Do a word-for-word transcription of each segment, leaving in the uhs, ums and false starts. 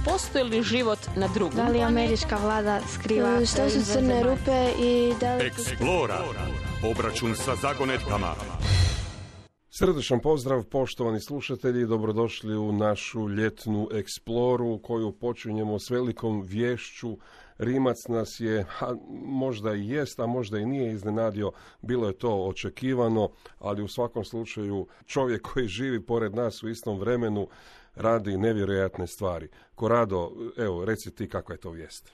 postoji li život na drugom Da li američka vlada skriva što su crne rupe i da li... Explora. Obračun sa zagonetkama. Srdečan pozdrav, poštovani slušatelji, dobrodošli u našu ljetnu eksploru koju počinjemo s velikom vješću. Rimac nas je, a možda i jest, a možda i nije iznenadio, bilo je to očekivano, ali u svakom slučaju čovjek koji živi pored nas u istom vremenu radi nevjerojatne stvari. Korado, evo, reci ti kakva je to vijest.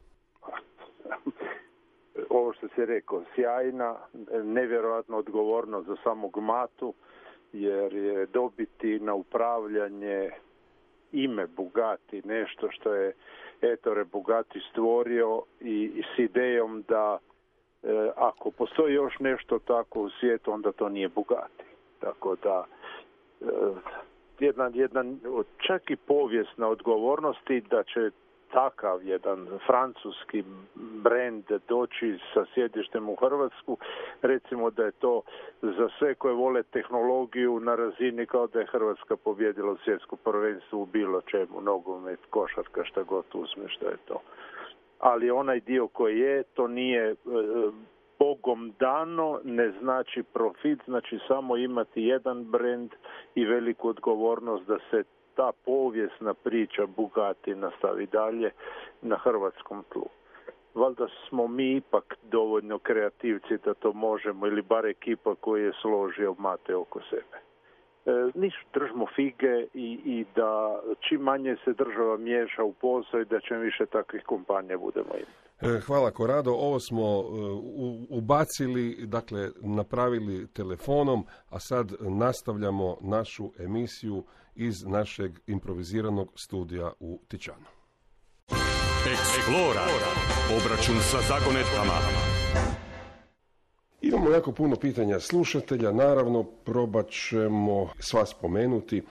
Ovo što si rekao, sjajna, nevjerojatna odgovornost za samog Matu, jer je dobiti na upravljanje ime Bugatti, nešto što je Ettore Bugatti stvorio i, i s idejom da e, ako postoji još nešto tako u svijetu, onda to nije Bugatti. Tako da e, jedan, jedan čak i povijesna odgovornosti da će takav jedan francuski brend doći sa sjedištem u Hrvatsku, recimo da je to za sve koje vole tehnologiju na razini kao da je Hrvatska pobjedila u svjetskom prvenstvu u bilo čemu, nogomet, košarka, šta god uzme, što je to. Ali onaj dio koji je, to nije e, Bogom dano, ne znači profit, znači samo imati jedan brend i veliku odgovornost da se ta povijesna priča Bugatti nastavi dalje na hrvatskom tlu. Valjda smo mi ipak dovoljno kreativci da to možemo, ili bar ekipa koji je složio Mate oko sebe. E, niš, držimo fige i, i da čim manje se država miješa u posao i da čim više takvih kompanija budemo imati. Hvala Korado, ovo smo ubacili, dakle napravili telefonom, a sad nastavljamo našu emisiju iz našeg improviziranog studija u Tičanu. Explora. Obračun sa zagonetkama. Imamo jako puno pitanja slušatelja, naravno probat ćemo sva spomenuti.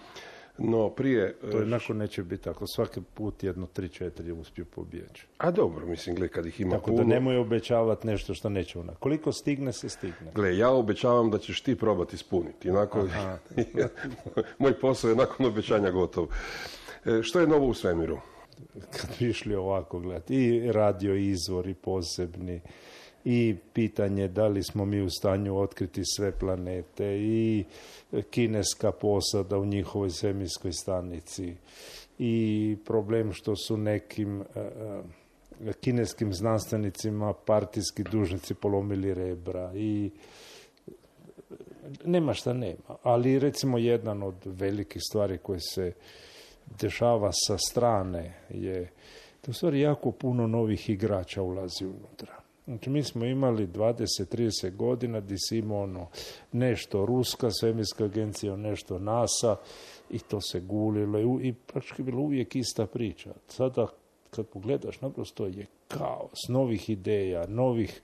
No prije... To jednako neće biti ako svaki put jedno tri četiri uspiju pobjeći. A dobro, mislim, gle, kad ih ima tako puno... Tako da nemoj obećavati nešto što neće ona. Koliko stigne, se stigne. Gle, ja obećavam da ćeš ti probati ispuniti. Inako, moj posao je nakon obećanja gotov. E, što je novo u svemiru? Kad bi išli ovako gledati, i radio izvori posebni, i pitanje da li smo mi u stanju otkriti sve planete, i kineska posada u njihovoj svemirskoj stanici, i problem što su nekim uh, kineskim znanstvenicima partijski dužnici polomili rebra, i nema šta nema. Ali recimo jedan od velikih stvari koje se dešava sa strane je da u stvari jako puno novih igrača ulazi unutra. Znači, mi smo imali dvadeset do trideset godina gdje si imao ono nešto ruska svemirska agencija, nešto NASA, i to se gulilo i, i praktički bilo uvijek ista priča. Sada kad pogledaš, naprosto je kaos novih ideja, novih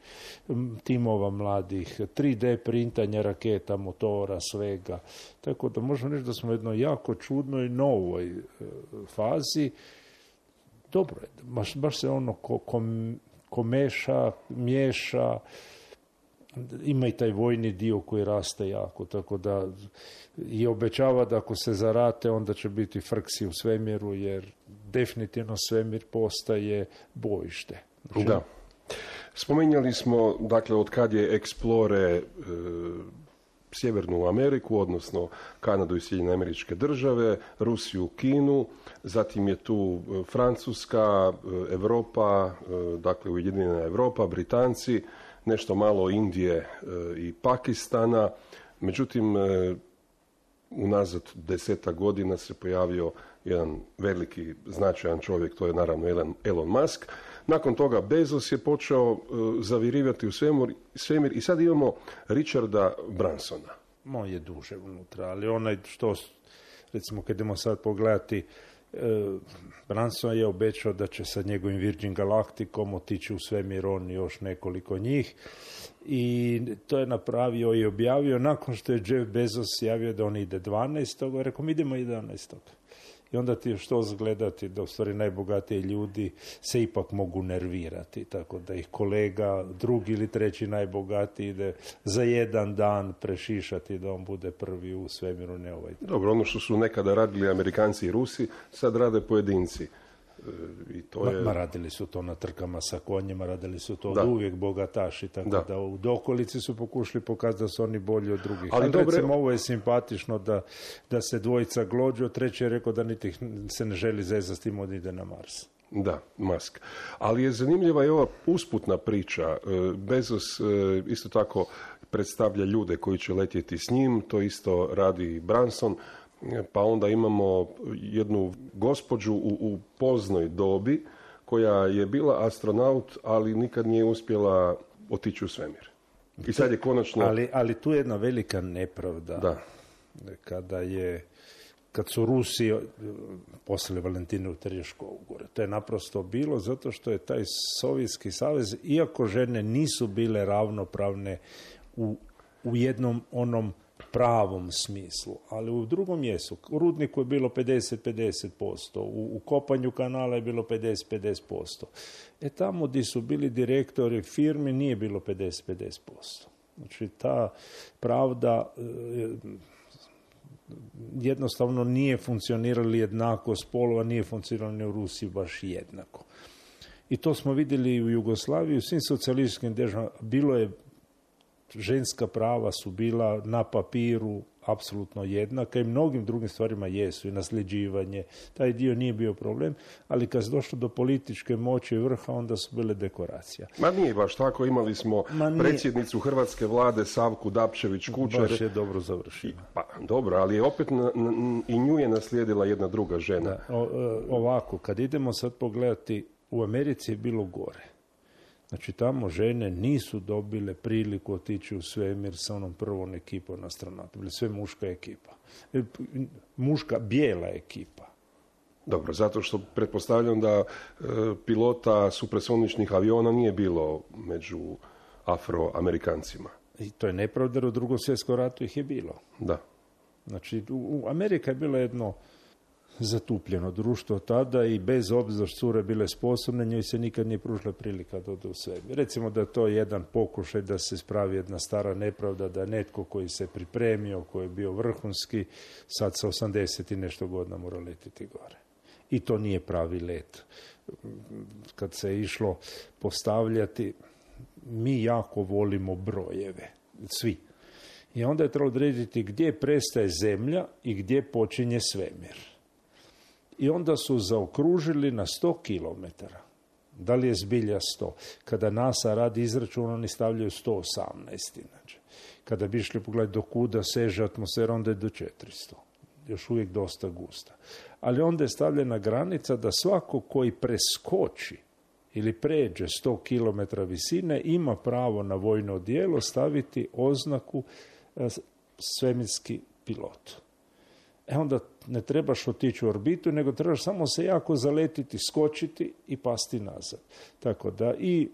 timova mladih, tri D printanja raketa, motora, svega. Tako da možemo reći da smo u jednoj jako čudnoj novoj e, fazi. Dobro je, baš, baš se ono ko, kom, ko meša, miješa, ima i taj vojni dio koji raste jako, tako da i obećava da ako se zarate onda će biti frksi u svemiru, jer definitivno svemir postaje bojište. Znači, da. Spominjali smo, dakle, od kad je Explore e, Sjevernu Ameriku, odnosno Kanadu i Sjedinjene Američke Države, Rusiju, Kinu, zatim je tu Francuska, Europa, dakle Ujedinjena Europa, Britanci, nešto malo Indije i Pakistana. Međutim, unazad desetak godina se pojavio jedan veliki, značajan čovjek, to je naravno Elon, Elon Musk. Nakon toga Bezos je počeo uh, zavirivati u svemir, svemir i sad imamo Richarda Bransona. On je duže unutra, ali onaj što, recimo kad idemo sad pogledati, uh, Branson je obećao da će sa njegovim Virgin Galacticom otići u svemir, on i još nekoliko njih. I to je napravio i objavio nakon što je Jeff Bezos javio da on ide dvanaestog Rekao, mi idemo jedanaestog I onda ti što zgledati da u stvari najbogatiji ljudi se ipak mogu nervirati, tako da ih kolega drugi ili treći najbogatiji ide za jedan dan prešišati da on bude prvi u svemiru, ne ovaj. Dobro, ono što su nekada radili Amerikanci i Rusi, sad rade pojedinci. I to ma, je... ma radili su to na trkama sa konjima, radili su to Da. od uvijek bogataši, tako da, Da. u dokolici su pokušali pokazati da su oni bolji od drugih. Ali Ali dobro, recimo ovo je simpatično da, da se dvojica glođu, treći je rekao da niti se ne želi zezati s tim, on ide na Mars. Da, Musk. Ali je zanimljiva i ova usputna priča. E, Bezos e, isto tako predstavlja ljude koji će letjeti s njim, to isto radi Branson, e, pa onda imamo jednu gospođu u, u poznoj dobi koja je bila astronaut, ali nikad nije uspjela otići u svemir. I sad je konačno... Ali, ali tu je jedna velika nepravda. Da. Kada je kad su Rusi eh, poslali Valentinu Tereškovu gore. To je naprosto bilo zato što je taj Sovjetski savez, iako žene nisu bile ravnopravne u, u jednom onom pravom smislu, ali u drugom jesu. U rudniku je bilo pedeset pedeset posto, u, u kopanju kanala je bilo pedeset pedeset posto. E tamo gdje su bili direktori firmi nije bilo pedeset pedeset posto. Znači ta pravda eh, jednostavno nije funkcionirali jednako spolova, nije funkcioniralo ni u Rusiji baš jednako. I to smo vidjeli i u Jugoslaviji, u svim socijalističkim državama. Bilo je, ženska prava su bila na papiru apsolutno jednaka i mnogim drugim stvarima jesu, i nasljeđivanje. Taj dio nije bio problem, ali kad se došlo do političke moći i vrha, onda su bile dekoracija. Ma nije baš tako, imali smo predsjednicu hrvatske vlade Savku Dapčević-Kučar. Baš je dobro završila. Pa dobro, ali je opet na, na, i nju je naslijedila jedna druga žena. Da, o, ovako, kad idemo sad pogledati, u Americi je bilo gore. Znači, tamo žene nisu dobile priliku otići u svemir sa onom prvom ekipom astronauta. Bili sve muška ekipa. Muška, bijela ekipa. Dobro, zato što pretpostavljam da e, pilota supresoničnih aviona nije bilo među Afroamerikancima. I to je nepravda, jer u drugom svjetskom ratu ih je bilo. Da. Znači, u, u Amerika je bila jedno zatupljeno društvo tada i bez obzira što cure bile sposobne, njoj se nikad nije pružila prilika da ode u svemir. Recimo da je to jedan pokušaj da se spravi jedna stara nepravda, da netko koji se pripremio, koji je bio vrhunski, sad sa osamdeset i nešto godina mora letiti gore. I to nije pravi let. Kad se je išlo postavljati, mi jako volimo brojeve. Svi. I onda je trebalo odrediti gdje prestaje zemlja i gdje počinje svemir. I onda su zaokružili na sto kilometara. Da li je zbilja sto? Kada NASA radi izračun, oni stavljaju sto osamnaest. Inače. Kada bi išli pogledati do kuda seže atmosfera, onda je do četiristo. Još uvijek dosta gusta. Ali onda je stavljena granica da svako koji preskoči ili pređe sto kilometara visine ima pravo na vojno odijelo staviti oznaku svemirski pilot. E onda ne trebaš otići u orbitu, nego trebaš samo se jako zaletiti, skočiti i pasti nazad. Tako da i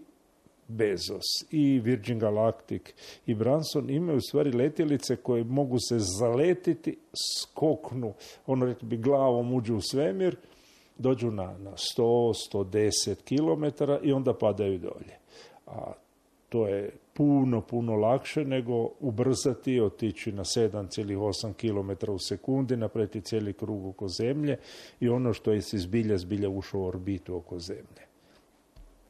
Bezos, i Virgin Galactic, i Branson imaju u stvari letjelice koje mogu se zaletiti, skoknu, ono rekli bi glavom uđu u svemir, dođu na, na sto do sto deset kilometara i onda padaju dolje. A to je puno, puno lakše nego ubrzati i otići na sedam zarez osam kilometara u sekundi, napraviti cijeli krug oko zemlje i ono što je se zbilja, zbilja ušao u orbitu oko zemlje.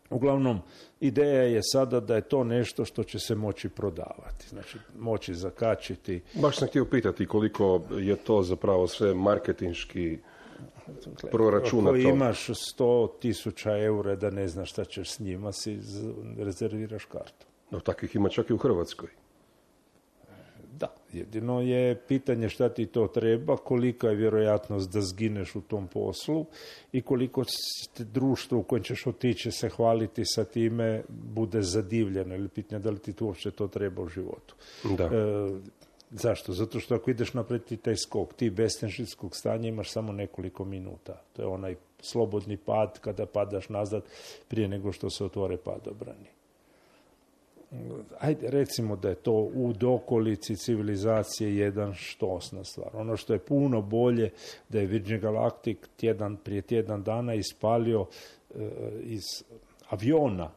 Uglavnom, ideja je sada da je to nešto što će se moći prodavati, znači moći zakačiti. Baš sam htio pitati koliko je to zapravo sve marketinški proračunato. Ako imaš sto tisuća eura da ne znaš šta ćeš s njima, si rezerviraš kartu. No, takvih ima čak i u Hrvatskoj. Da, jedino je pitanje šta ti to treba, kolika je vjerojatnost da zgineš u tom poslu i koliko društvo u kojem ćeš otići se hvaliti sa time bude zadivljeno ili pitanje da li ti to uopće to treba u životu. Da. E, zašto? Zato što ako ideš napraviti taj skok, ti bez tenžinskog stanja imaš samo nekoliko minuta. To je onaj slobodni pad kada padaš nazad prije nego što se otvore padobrani. Ajde, recimo da je to u dokolici civilizacije jedan štosna stvar. Ono što je puno bolje da je Virgin Galactic tjedan, prije tjedan dana ispalio e, iz aviona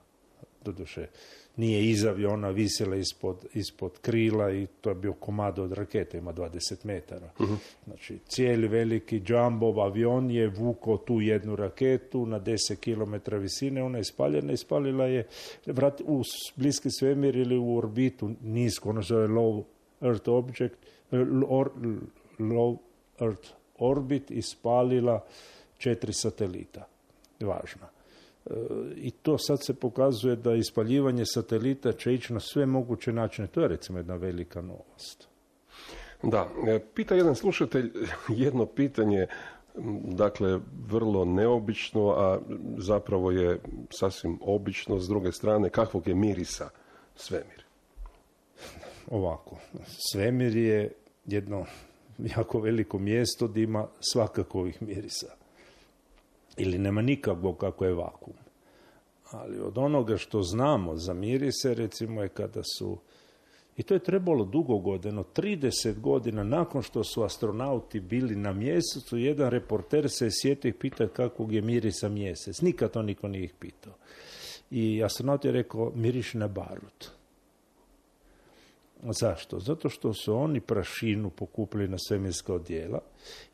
doduše nije iz aviona, visjela ispod, ispod krila i to je bio komado od rakete, ima dvadeset metara. Uh-huh. Znači, cijeli veliki Jumbo avion je vukao tu jednu raketu na deset kilometara visine, ona je ispaljena, ispalila je vrat, u bliski svemir ili u orbitu nisko, ono zove low Earth object, or, low Earth orbit, ispalila četiri satelita. Važna. I to sad se pokazuje da ispaljivanje satelita će ići na sve moguće načine. To je recimo jedna velika novost. Da, pita jedan slušatelj jedno pitanje, dakle vrlo neobično, a zapravo je sasvim obično. S druge strane, kakvog je mirisa svemir? Ovako, svemir je jedno jako veliko mjesto gdje ima svakakovih mirisa. Ili nema nikakvog kako je vakuum. Ali od onoga što znamo za mirise, recimo je kada su, i to je trebalo dugo godina, trideset godina nakon što su astronauti bili na mjesecu, jedan reporter se je sjetio i pitao kakvog je mirisa mjesec. Nikad to niko nije ih pitao. I astronaut je rekao, miriši na barut. Zašto? Zato što su oni prašinu pokupili na svemirska odjela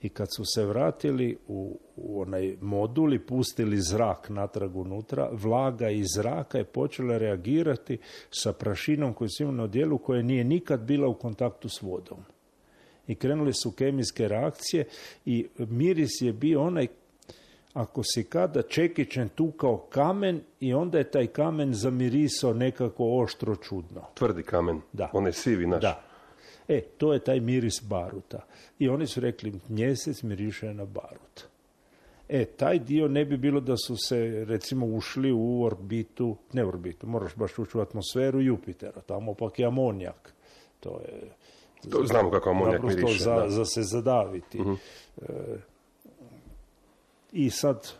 i kad su se vratili u, u onaj modul i pustili zrak natrag unutra, vlaga iz zraka je počela reagirati sa prašinom koju su imali na odjelu koja nije nikad bila u kontaktu s vodom. I krenuli su kemijske reakcije i miris je bio onaj ako si kada čekićem tukao kamen i onda je taj kamen zamirisao nekako oštro čudno. Tvrdi kamen, da. On je sivi naš. Da. E, to je taj miris baruta. I oni su rekli, mjesec miriše na barut. E, taj dio ne bi bilo da su se, recimo, ušli u orbitu, ne u orbitu, moraš baš ući u atmosferu Jupitera, tamo pak je amonijak. To je... To znamo kako amonijak miriše. Za, da. za se zadaviti. Uh-huh. E, I sad,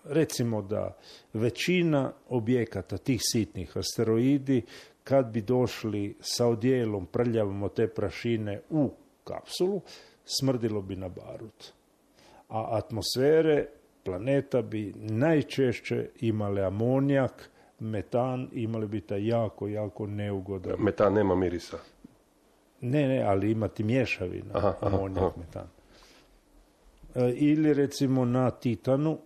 recimo da većina objekata, tih sitnih asteroidi, kad bi došli sa odjelom prljavom od te prašine u kapsulu, smrdilo bi na barut. A atmosfere planeta bi najčešće imale amonijak, metan, imali bi taj jako, jako neugodan. Metan nema mirisa? Ne, ne, ali imati mješavina, aha, amonijak, aha. metan. Ili recimo na Titanu,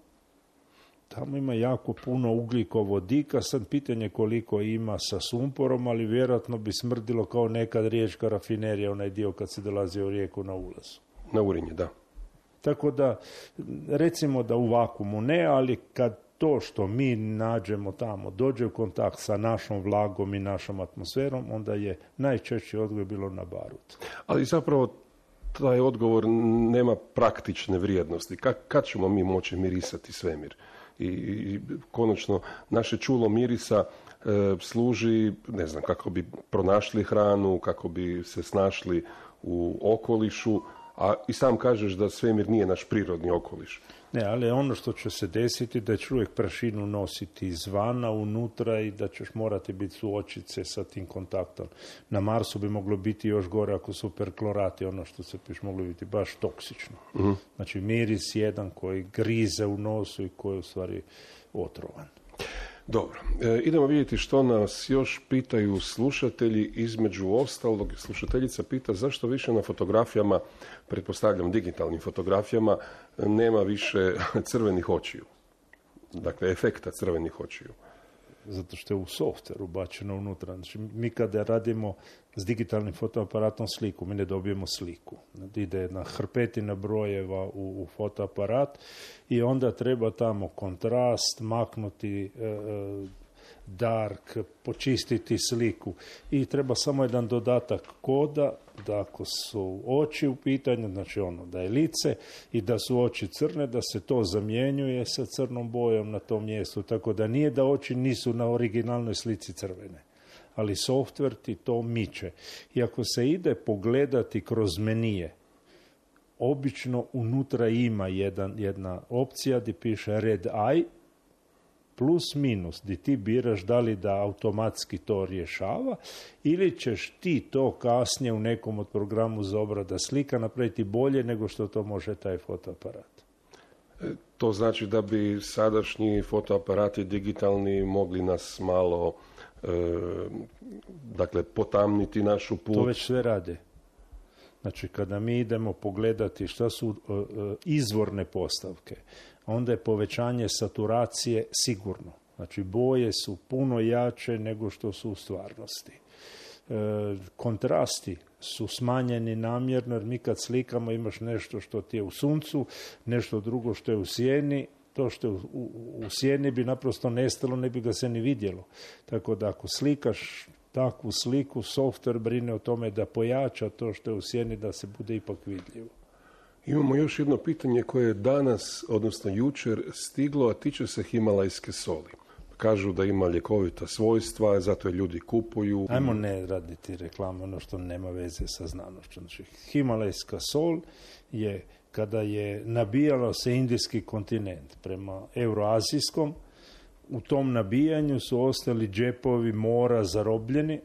tamo ima jako puno ugljikovodika, sad pitanje koliko ima sa sumporom, ali vjerojatno bi smrdilo kao nekad riječka rafinerija, onaj dio kad se dolazi u rijeku na ulazu. Na Urinje, da. Tako da, recimo da u vakuumu ne, ali kad to što mi nađemo tamo dođe u kontakt sa našom vlagom i našom atmosferom, onda je najčešći odgovor bilo na barut. Ali zapravo taj odgovor nema praktične vrijednosti. Kad, kad ćemo mi moći mirisati svemir? I, i konačno, naše čulo mirisa e, služi, ne znam, kako bi pronašli hranu, kako bi se snašli u okolišu, a i sam kažeš da svemir nije naš prirodni okoliš. Ne, ali ono što će se desiti da će uvijek prašinu nositi izvana, unutra i da ćeš morati biti suočice sa tim kontaktom. Na Marsu bi moglo biti još gore ako su perklorati, ono što se piš moglo biti baš toksično. Uh-huh. Znači miris jedan koji grize u nosu i koji je u stvari otrovan. Dobro, e, idemo vidjeti što nas još pitaju slušatelji. Između ostalog, slušateljica pita zašto više na fotografijama, pretpostavljam digitalnim fotografijama, nema više crvenih očiju. Dakle, efekta crvenih očiju. Zato što je u softveru bačeno unutra. Znači, mi kada radimo s digitalnim fotoaparatom sliku, mi ne dobijemo sliku. Ide jedna hrpetina brojeva u, u fotoaparat i onda treba tamo kontrast, maknuti e, dark, počistiti sliku. I treba samo jedan dodatak koda da ako su oči u pitanju, znači ono da je lice i da su oči crne, da se to zamjenjuje sa crnom bojom na tom mjestu. Tako da nije da oči nisu na originalnoj slici crvene. Ali softver ti to miče. I ako se ide pogledati kroz menije, obično unutra ima jedan, jedna opcija gdje piše red eye, plus minus, gdje ti biraš da li da automatski to rješava ili ćeš ti to kasnije u nekom od programu za obrada slika napraviti bolje nego što to može taj fotoaparat. To znači da bi sadašnji fotoaparati digitalni mogli nas malo e, dakle potamniti našu put. To već sve rade. Znači, kada mi idemo pogledati šta su e, izvorne postavke, onda je povećanje saturacije sigurno. Znači, boje su puno jače nego što su u stvarnosti. E, kontrasti su smanjeni namjerno, jer mi kad slikamo imaš nešto što ti je u suncu, nešto drugo što je u sjeni. To što je u, u, u sjeni bi naprosto nestalo, ne bi ga se ni vidjelo. Tako da ako slikaš takvu sliku, software brine o tome da pojača to što je u sjeni, da se bude ipak vidljivo. Imamo još jedno pitanje koje je danas, odnosno jučer, stiglo, a tiče se himalajske soli. Kažu da ima ljekovita svojstva, zato je ljudi kupuju. Ajmo ne raditi reklamu, ono što nema veze sa znanošću. Znači, himalajska sol je kada je nabijalo se indijski kontinent prema euroazijskom, u tom nabijanju su ostali džepovi mora zarobljeni,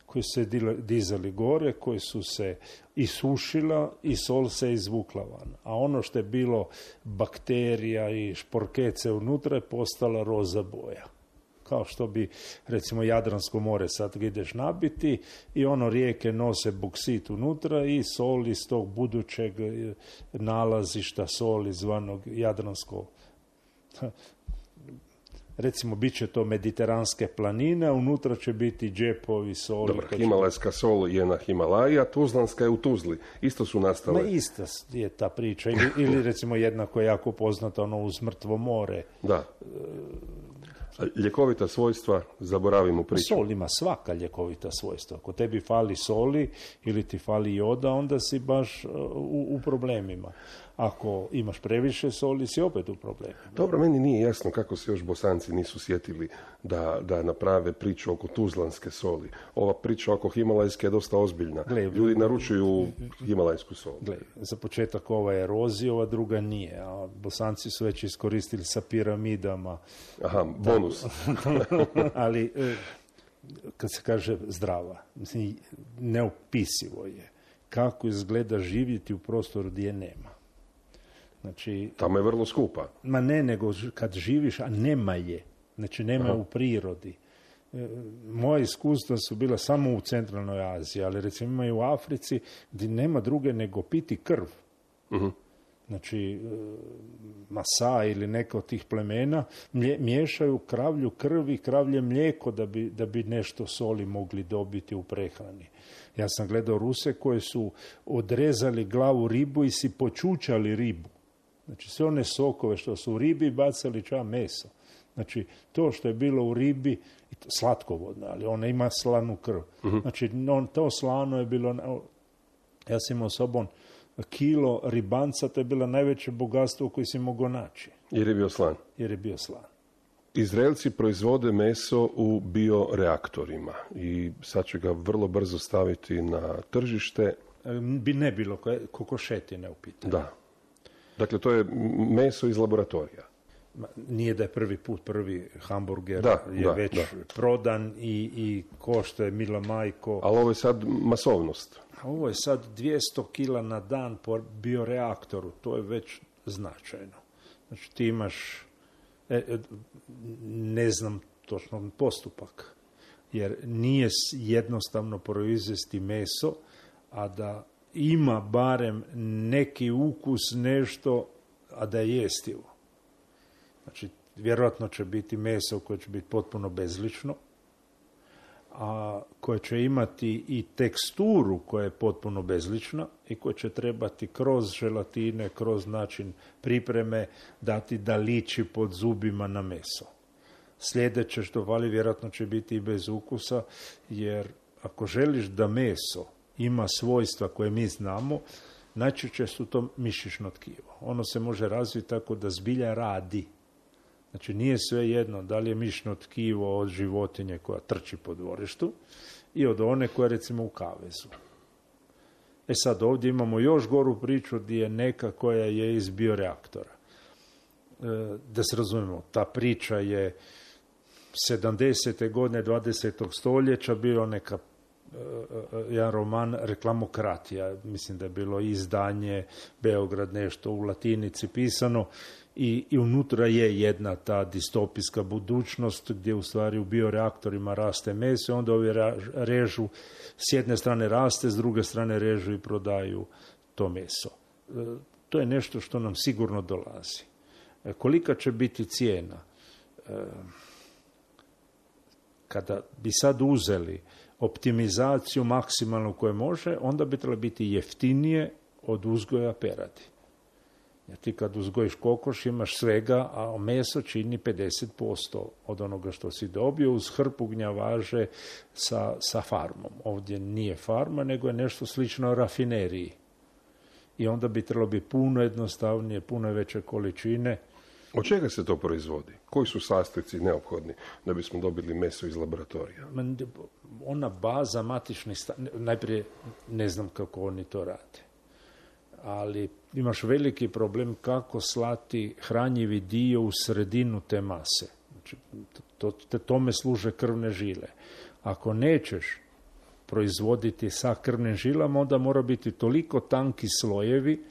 koji su se dizali gore, koji su se isušila i sol se izvukla van. A ono što je bilo bakterija i šporkece unutra je postala roza boja. Kao što bi, recimo, Jadransko more sad ideš nabiti i ono rijeke nose boksit unutra i sol iz tog budućeg nalazišta soli zvanog Jadransko. Recimo, bit će to mediteranske planine, a unutra će biti džepovi soli. Dobro, himalajska sol je na Himalaji, a tuzlanska je u Tuzli. Isto su nastale. Ma ista je ta priča. Ili, ili recimo jedna koja je jako poznata, ono uz Mrtvo more. Da. Ljekovita svojstva, zaboravimo priču. Sol ima svaka ljekovita svojstva. Ako tebi fali soli ili ti fali joda, onda si baš u, u problemima. Ako imaš previše soli, si opet u problemima. Dobro, meni nije jasno kako se još Bosanci nisu sjetili da, da naprave priču oko tuzlanske soli. Ova priča oko himalajske je dosta ozbiljna. Gle, ljudi naručuju himalajsku sol. Gle, za početak ova je erozija, ova druga nije. A Bosanci su već iskoristili sa piramidama. Aha, bonus. Ali, kad se kaže zdrava, neopisivo je kako izgleda živjeti u prostoru gdje je nema. Znači, tamo je vrlo skupa. Ma ne, nego kad živiš, a nema je. Znači, nema Aha. u prirodi. E, moje iskustva su bila samo u centralnoj Aziji, ali recimo ima i u Africi gdje nema druge nego piti krv. Uh-huh. Znači, Masa ili neka od tih plemena mlje, miješaju kravlju krv i kravlje mlijeko da bi, da bi nešto soli mogli dobiti u prehrani. Ja sam gledao Ruse koji su odrezali glavu ribu i si počučali ribu. Znači, sve one sokove što su u ribi bacali ča meso. Znači, to što je bilo u ribi, slatkovodno, ali ona ima slanu krv. Uh-huh. Znači, on, to slano je bilo, ja sam imao sobom kilo ribanca, to je bilo najveće bogatstvo koje si mogao naći. Jer je bio slan. Jer je bio slan. Izraelci proizvode meso u bioreaktorima i sad će ga vrlo brzo staviti na tržište. Bi ne bilo kokošetine u pitanju. Da. Dakle, to je meso iz laboratorija. Nije da je prvi put, prvi hamburger da, je da, već da. prodan i, i košta je mila majko. Ali ovo je sad masovnost. Ovo je sad dvjesto kila na dan po bioreaktoru, to je već značajno. Znači ti imaš, e, ne znam točno postupak, jer nije jednostavno proizvesti meso, a da ima barem neki ukus, nešto, a da je jestivo. Znači, vjerojatno će biti meso koje će biti potpuno bezlično, a koje će imati i teksturu koja je potpuno bezlična i koja će trebati kroz želatine, kroz način pripreme dati da liči pod zubima na meso. Sljedeće što vali vjerojatno će biti i bez ukusa, jer ako želiš da meso ima svojstva koje mi znamo, najčešće su to mišićno tkivo. Ono se može razviti tako da zbilja radi. Znači, nije sve jedno da li je mišićno tkivo od životinje koja trči po dvorištu i od one koja je recimo u kavezu. E sad, ovdje imamo još goru priču gdje je neka koja je iz bioreaktora. E, da se razumijemo, ta priča je sedamdesete godine dvadesetog stoljeća bilo neka jedan roman Reklamokratija, mislim da je bilo izdanje Beograd nešto u latinici pisano I, i unutra je jedna ta distopijska budućnost gdje u stvari u bioreaktorima raste meso, onda ovi režu, s jedne strane raste, s druge strane režu i prodaju to meso. E, to je nešto što nam sigurno dolazi. E, kolika će biti cijena? E, kada bi sad uzeli optimizaciju maksimalno koje može, onda bi trebalo biti jeftinije od uzgoja peradi. Jer ti kad uzgojiš kokoš imaš svega, a meso čini pedeset posto od onoga što si dobio uz hrpu gnjavaže sa, sa farmom. Ovdje nije farma, nego je nešto slično rafineriji. I onda bi trebalo biti puno jednostavnije, puno veće količine. Od čega se to proizvodi? Koji su sastojci neophodni da bismo dobili meso iz laboratorija? Ona baza matičnih stanica, najprije ne znam kako oni to rade, ali imaš veliki problem kako slati hranjivi dio u sredinu te mase. Znači, to, to, tome služe krvne žile. Ako nećeš proizvoditi sa krvnim žilama, onda mora biti toliko tanki slojevi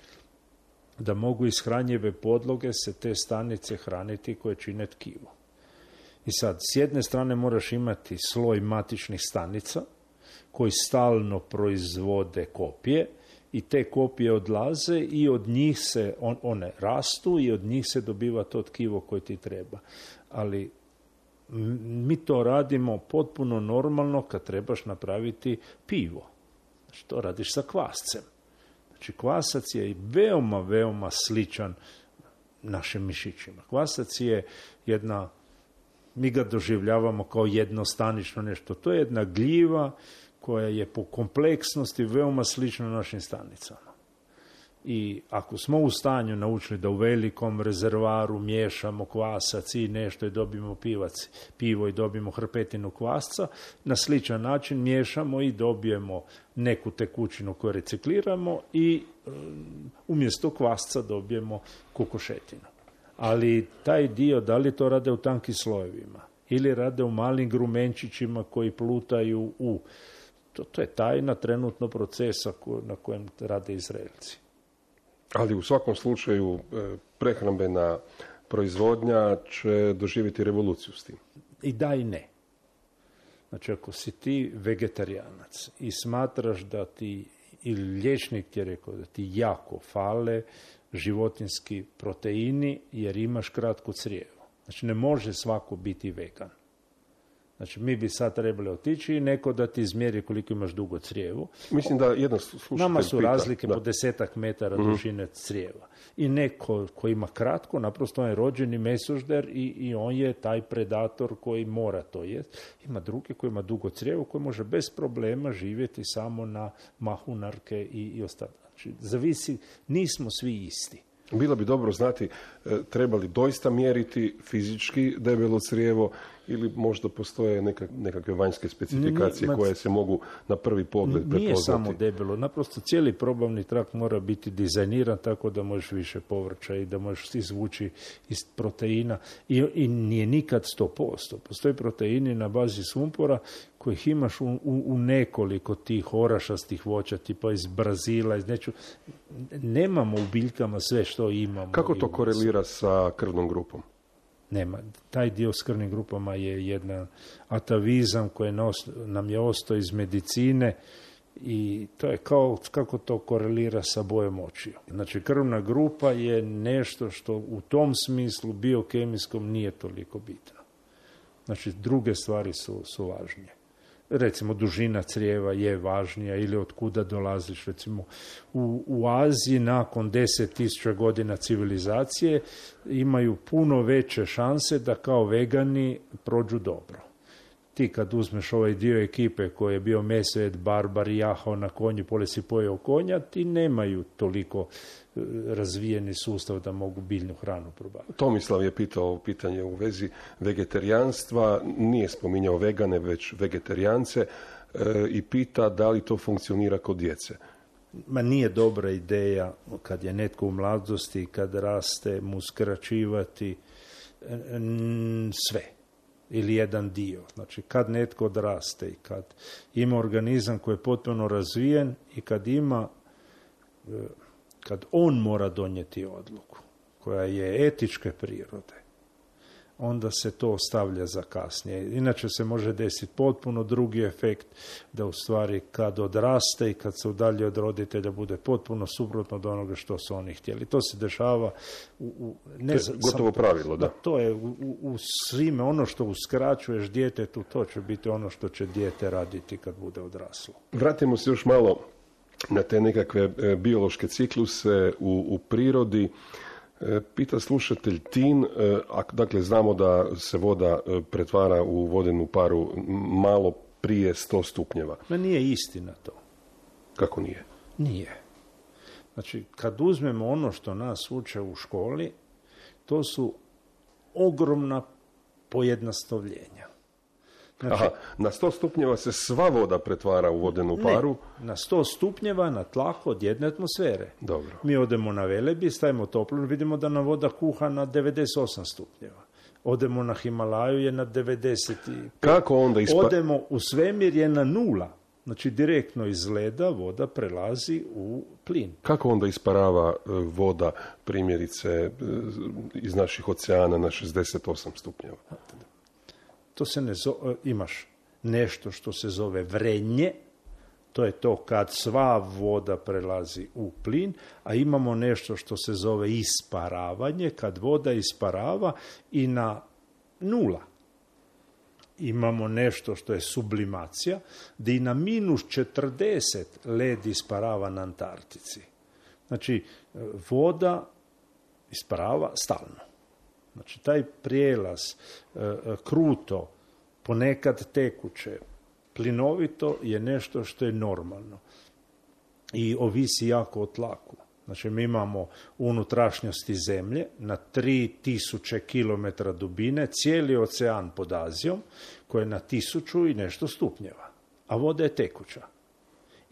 da mogu iz hranjive podloge se te stanice hraniti koje čine tkivo. I sad, s jedne strane moraš imati sloj matičnih stanica koji stalno proizvode kopije i te kopije odlaze i od njih se, on, one rastu i od njih se dobiva to tkivo koje ti treba. Ali mi to radimo potpuno normalno kad trebaš napraviti pivo. Znači, to radiš sa kvascem. Znači, kvasac je veoma, veoma sličan našim mišićima. Kvasac je jedna, mi ga doživljavamo kao jednostanično nešto. To je jedna gljiva koja je po kompleksnosti veoma slična našim stanicama. I ako smo u stanju naučili da u velikom rezervaru miješamo kvasac i nešto i dobijemo pivac, pivo i dobijemo hrpetinu kvasca, na sličan način miješamo i dobijemo neku tekućinu koju recikliramo i um, umjesto kvasca dobijemo kokošetinu. Ali taj dio, da li to rade u tankim slojevima ili rade u malim grumenčićima koji plutaju u... To, to je tajna trenutno procesa ko, na kojem rade Izraelci. Ali u svakom slučaju prehrambena proizvodnja će doživjeti revoluciju s tim. I da i ne. Znači, ako si ti vegetarijanac i smatraš da ti, ili liječnik ti je rekao da ti jako fale životinski proteini jer imaš kratko crijevo. Znači, ne može svako biti vegan. Znači, mi bi sad trebali otići i neko da ti izmjeri koliko imaš dugo crijevo. Mislim da jedan slušatelj Nama su pita, razlike da. po desetak metara mm-hmm. dužine crijeva. I neko ko ima kratko, naprosto on je rođeni mesožder i, i on je taj predator koji mora to jest. Ima drugi koji ima dugo crijevo, koji može bez problema živjeti samo na mahunarke i, i ostalo. Znači, zavisi, nismo svi isti. Bilo bi dobro znati treba li doista mjeriti fizički debelo crijevo ili možda postoje neka, nekakve vanjske specifikacije nije, koje se mogu na prvi pogled prepoznati. Nije samo debelo, naprosto cijeli probavni trakt mora biti dizajniran tako da možeš više povrća i da možeš izvući iz proteina i, i nije nikad sto posto. Postoje proteini na bazi sumpora kojih imaš u, u, u nekoliko tih orašastih voća, tipa iz Brazila, iz neču. Nemamo u biljkama sve što imamo. Kako to korelira sa krvnom grupom? Nema. Taj dio s krvnim grupama je jedan atavizam koji nam je ostao iz medicine i to je kao kako to korelira sa bojom očiju. Znači, krvna grupa je nešto što u tom smislu biokemijskom nije toliko bitno. Znači, druge stvari su, su važnije. Recimo, dužina crijeva je važnija ili od kuda dolaziš. Recimo, u, u Aziji nakon deset tisuća godina civilizacije imaju puno veće šanse da kao vegani prođu dobro. Ti kad uzmeš ovaj dio ekipe koji je bio mesojed, barbar, jahao na konju, pole si pojeo konja, ti nemaju toliko razvijeni sustav da mogu biljnu hranu probaviti. Tomislav je pitao pitanje u vezi vegetarijanstva, nije spominjao vegane, već vegetarijance e, i pita da li to funkcionira kod djece. Ma nije dobra ideja kad je netko u mladosti, kad raste, mu skraćivati n, sve ili jedan dio. Znači, kad netko odraste i kad ima organizam koji je potpuno razvijen i kad ima, kad on mora donijeti odluku. koja je etičke prirode, onda se to ostavlja za kasnije. Inače se može desiti potpuno drugi efekt, da u stvari kad odraste i kad se udalji od roditelja bude potpuno suprotno od onoga što su oni htjeli. To se dešava u... u ne to je gotovo sam, pravilo, da. da. To je u, u, u svime, ono što uskraćuješ djetetu, to će biti ono što će dijete raditi kad bude odraslo. Vratimo se još malo na te nekakve e, biološke cikluse u, u prirodi. Pita slušatelj Tin, a, dakle znamo da se voda pretvara u vodenu paru malo prije sto stupnjeva. Ma nije istina to. Kako nije? Nije. Znači, kad uzmemo ono što nas uče u školi, to su ogromna pojednostavljenja. Znači, Aha, na sto stupnjeva se sva voda pretvara u vodenu paru? Ne, na sto stupnjeva na tlaku od jedne atmosfere. Dobro. Mi odemo na Velebit, stavimo toplinu, vidimo da nam voda kuha na devedeset osam stupnjeva. Odemo na Himalaju je na devedeset pet. Kako onda ispa... Odemo u svemir je na nula. Znači direktno iz leda voda prelazi u plin. Kako onda isparava voda, primjerice, iz naših oceana na šezdeset osam stupnjeva? To se ne zove, imaš nešto što se zove vrenje, to je to kad sva voda prelazi u plin, a imamo nešto što se zove isparavanje, kad voda isparava i na nula. Imamo nešto što je sublimacija, gdje i na minus četrdeset led isparava na Antarktici. Znači, voda isparava stalno. Znači, taj prijelaz e, kruto, ponekad tekuće, plinovito je nešto što je normalno i ovisi jako o tlaku. Znači, mi imamo unutrašnjosti zemlje na tri tisuće kilometra dubine, cijeli ocean pod Azijom, koji je na tisuću i nešto stupnjeva, a voda je tekuća.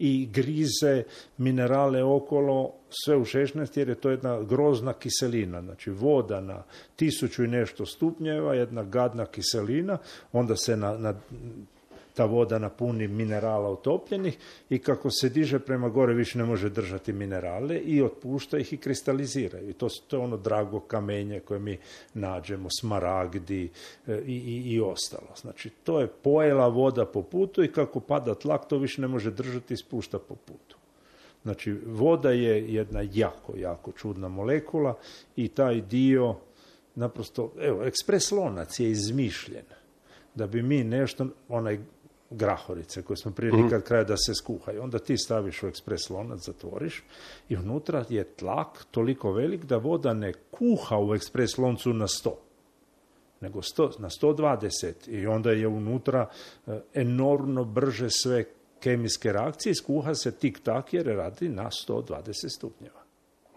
I grize minerale okolo, sve u šesnaest, jer je to jedna grozna kiselina. Znači, voda na tisuću i nešto stupnjeva, jedna gadna kiselina, onda se na, na, ta voda napuni minerala utopljenih i kako se diže prema gore više ne može držati minerale i otpušta ih i kristaliziraju. I to, to je ono drago kamenje koje mi nađemo, smaragdi e, i, i, i ostalo. Znači, to je pojela voda po putu i kako pada tlak, to više ne može držati i spušta po putu. Znači, voda je jedna jako, jako čudna molekula i taj dio, naprosto, evo, ekspres lonac je izmišljen da bi mi nešto, onaj grahorice koje smo prije nikad kraja da se skuhaju. Onda ti staviš u ekspres lonac, zatvoriš i unutra je tlak toliko velik da voda ne kuha u ekspres loncu na sto, nego sto, na sto dvadeset i onda je unutra enormno brže sve kemijske reakcije, skuha se tik-tak jer radi na sto dvadeset stupnjeva.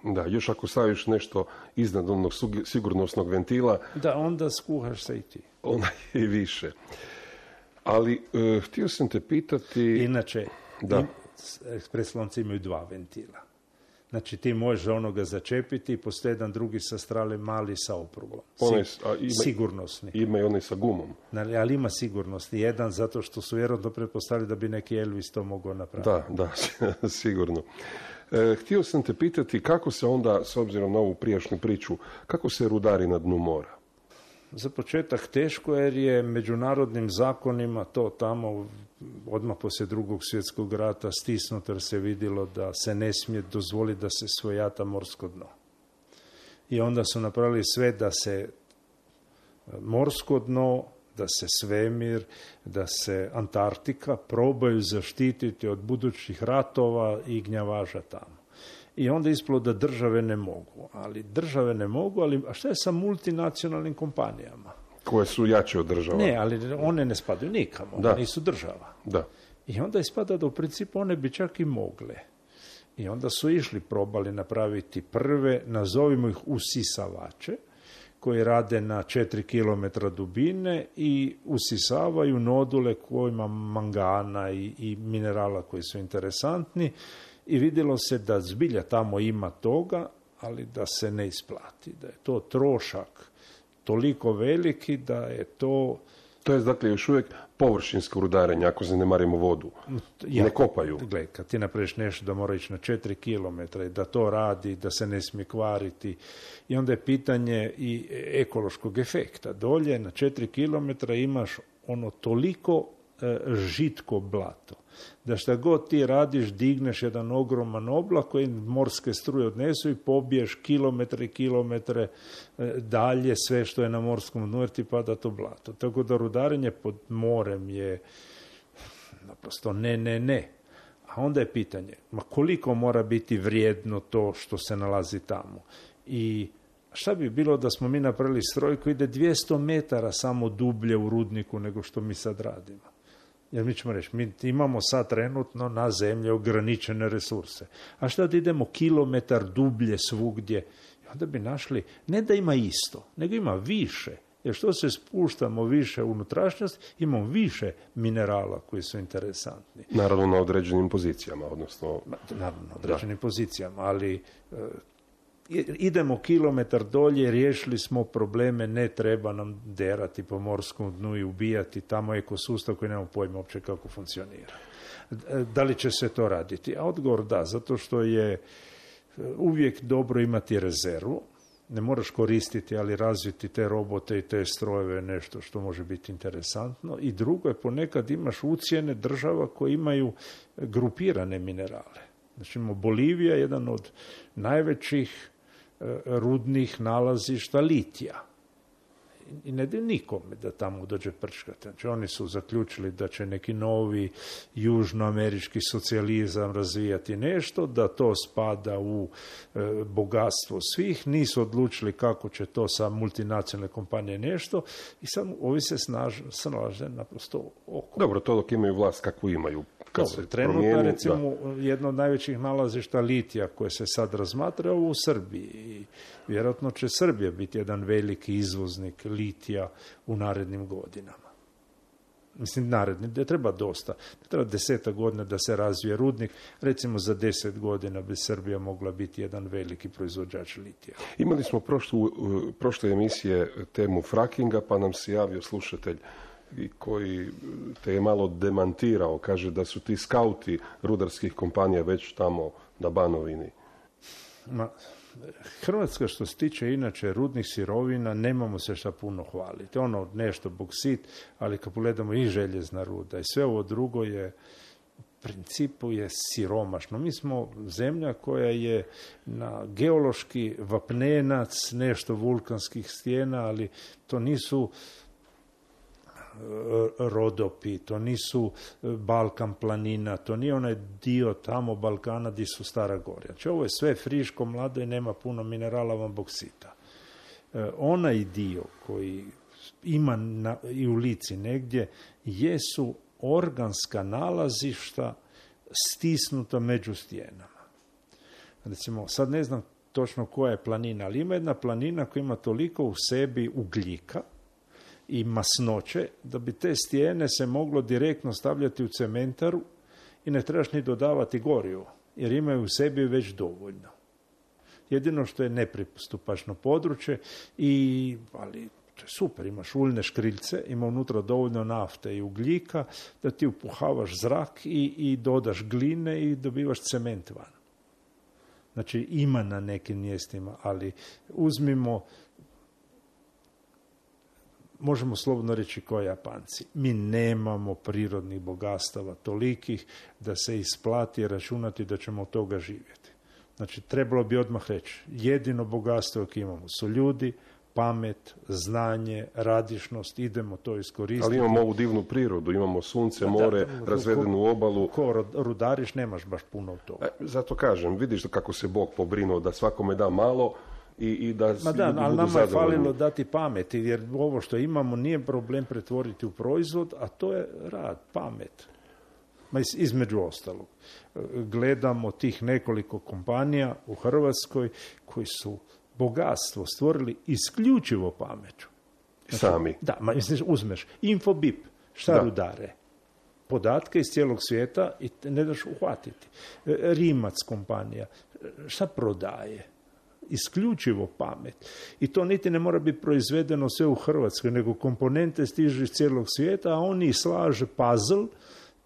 Da, još ako staviš nešto iznad onog sigurnosnog ventila... Da, onda skuhaš se i ti. Onda i više. Ali, e, htio sam te pitati... Inače, da. im, ekspres lonci imaju dva ventila. Znači, ti možeš onoga začepiti i postoji jedan drugi sa strane mali sa oprugom. Onaj, a ima, sigurnosni. Ima i onaj sa gumom. Ali ima sigurnosni. Jedan, zato što su vjerojatno pretpostavili da bi neki Elvis to mogao napraviti. Da, da, sigurno. E, htio sam te pitati kako se onda, s obzirom na ovu prijašnju priču, kako se rudari na dnu mora? Za početak teško, jer je međunarodnim zakonima to tamo odmah poslije drugog svjetskog rata stisnuto, jer se vidjelo da se ne smije dozvoliti da se svojata morsko dno. I onda su napravili sve da se morsko dno, da se svemir, da se Antarktika probaju zaštititi od budućih ratova i gnjavaža tamo. I onda ispalo da države ne mogu. Ali države ne mogu, ali a šta je sa multinacionalnim kompanijama? Koje su jače od država. Ne, ali one ne spadaju nikamo, one nisu država. Da. I onda ispada da u principu one bi čak i mogle. I onda su išli, probali napraviti prve, nazovimo ih usisavače, koji rade na četiri kilometra dubine i usisavaju nodule kojima mangana i, i minerala koji su interesantni. I vidjelo se da zbilja tamo ima toga, ali da se ne isplati. Da je to trošak toliko veliki da je to To je dakle još uvijek površinsko rudarenje, ako zanemarimo vodu. Ja, ne kopaju. Gle, kad ti napraviš nešto da mora ići na četiri kilometra i da to radi, da se ne smije kvariti. I onda je pitanje i ekološkog efekta. Dolje na četiri kilometra imaš ono toliko e, žitko blato, da šta god ti radiš, digneš jedan ogroman oblak koji morske struje odnesu i pobiješ kilometre i kilometre e, dalje sve što je na morskom dnu jer ti pada to blato. Tako da rudarenje pod morem je naprosto ne, ne, ne. A onda je pitanje, ma koliko mora biti vrijedno to što se nalazi tamo? I šta bi bilo da smo mi napravili stroj koji ide dvjesto metara samo dublje u rudniku nego što mi sad radimo? Jer mi ćemo reći, mi imamo sad trenutno na zemlji ograničene resurse. A šta da idemo kilometar dublje svugdje? I onda bi našli, ne da ima isto, nego ima više. Jer što se spuštamo više u unutrašnjost, imamo više minerala koji su interesantni. Naravno na određenim pozicijama, odnosno... Naravno na određenim da. pozicijama, ali... idemo kilometar dolje, riješili smo probleme, ne treba nam derati po morskom dnu i ubijati tamo ekosustav koji nemamo pojma uopće kako funkcionira. Da li će se to raditi? A odgovor da, zato što je uvijek dobro imati rezervu, ne moraš koristiti, ali razviti te robote i te strojeve nešto što može biti interesantno. I drugo je, ponekad imaš ucjene država koje imaju grupirane minerale. Znači, Bolivija je jedan od najvećih rudnih nalazišta litija. I ne da nikome da tamo dođe prčkati. Znači, oni su zaključili da će neki novi južnoamerički socijalizam razvijati nešto, da to spada u e, bogatstvo svih. Nisu odlučili kako će to sa multinacionalne kompanije nešto i sad ovi se snalaze naprosto oko. Dobro, to dok imaju vlast kakvu imaju. Kad Dobro, trenutno, recimo, da. jedno od najvećih nalazišta litija koje se sad razmatra ovo u Srbiji. I vjerojatno će Srbija biti jedan veliki izvoznik litija u narednim godinama. Mislim, naredni, da treba dosta. Da treba desetak godina da se razvije rudnik. Recimo, za deset godina bi Srbija mogla biti jedan veliki proizvođač litija. Imali smo prošlu, prošle emisije temu frackinga, pa nam se javio slušatelj koji te je malo demantirao, kaže da su ti skauti rudarskih kompanija već tamo na Banovini. Ma, Hrvatska što se tiče inače rudnih sirovina nemamo se šta puno hvaliti. Ono nešto boksit, ali kad pogledamo i željezna ruda i sve ovo drugo je u principu je siromašno. Mi smo zemlja koja je na geološki vapnenac, nešto vulkanskih stijena, ali to nisu rodopi, to nisu Balkan planina, to nije onaj dio tamo Balkana gdje su Stara Gorja. Znači ovo je sve friško, mlado i nema puno minerala van boksita. E, onaj dio koji ima na, i u Lici negdje jesu organska nalazišta stisnuta među stijenama. Recimo, sad ne znam točno koja je planina, ali ima jedna planina koja ima toliko u sebi ugljika i masnoće, da bi te stijene se moglo direktno stavljati u cementaru i ne trebaš ni dodavati gorivo, jer imaju u sebi već dovoljno. Jedino što je nepristupačno područje, i, ali to je super, imaš uljne škriljce, ima unutra dovoljno nafte i ugljika, da ti upuhavaš zrak i, i dodaš gline i dobivaš cement van. Znači ima na nekim mjestima, ali uzmimo, možemo slobodno reći kao Japanci, mi nemamo prirodnih bogatstava tolikih da se isplati računati da ćemo od toga živjeti. Znači, trebalo bi odmah reći, jedino bogatstvo koje imamo su ljudi, pamet, znanje, radišnost, idemo to iskoristiti. Ali imamo ovu divnu prirodu, imamo sunce, more, da, razvedenu obalu. Ko rudariš, nemaš baš puno toga. E, zato kažem, vidiš kako se Bog pobrinuo da svakome da malo, I, i da Ma da, ali nama je falilo dati pameti, jer ovo što imamo nije problem pretvoriti u proizvod, a to je rad, pamet. Ma iz, između ostalog. Gledamo tih nekoliko kompanija u Hrvatskoj koji su bogatstvo stvorili isključivo pameću. Znači, sami. Da, ma misliš, uzmeš Infobip, šta da. rudare? Podatke iz cijelog svijeta i ne daš uhvatiti. Rimac kompanija, šta prodaje? isključivo pamet. I to niti ne mora biti proizvedeno sve u Hrvatskoj, nego komponente stižu iz cijelog svijeta, a oni slaže puzzle